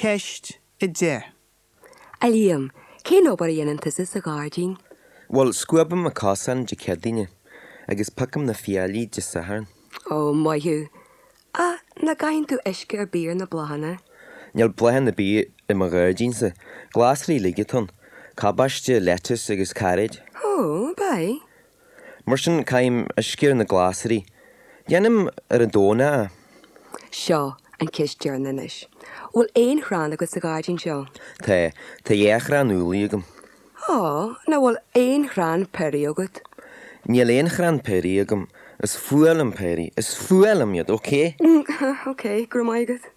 Ceist 10. A Liam, cén obair a dhéanann tusa sa ghairdín? Bhuel, scuabaim na cosáin Dé Céadaoine agus piocaim na fiailí Dé Sathairn. Ó, maith thú. Ach nach gcaitheann tú uisce ar bith ar na bláthanna? Níl bláthanna ar bith i mo ghairdínsa. Glasraí uilig atá ann. Cabáiste, lettuce agus cairéid. Ó, ab ea? Mar sin, caithim uisce ar na glasraí. Déanaim ar an Domhnach é. Seo an cheist deireanach anois. Bhfuil aon chrann agat sa ghairdín seo? Tá. Tá dhá chrann úllaí agam. Ó, nach bhfuil aon chrann piorraí agat? Níl aon chrann piorraí agam. Is fuath liom piorraí. Is fuath liom iad, ok? Ok, go raibh maith agat.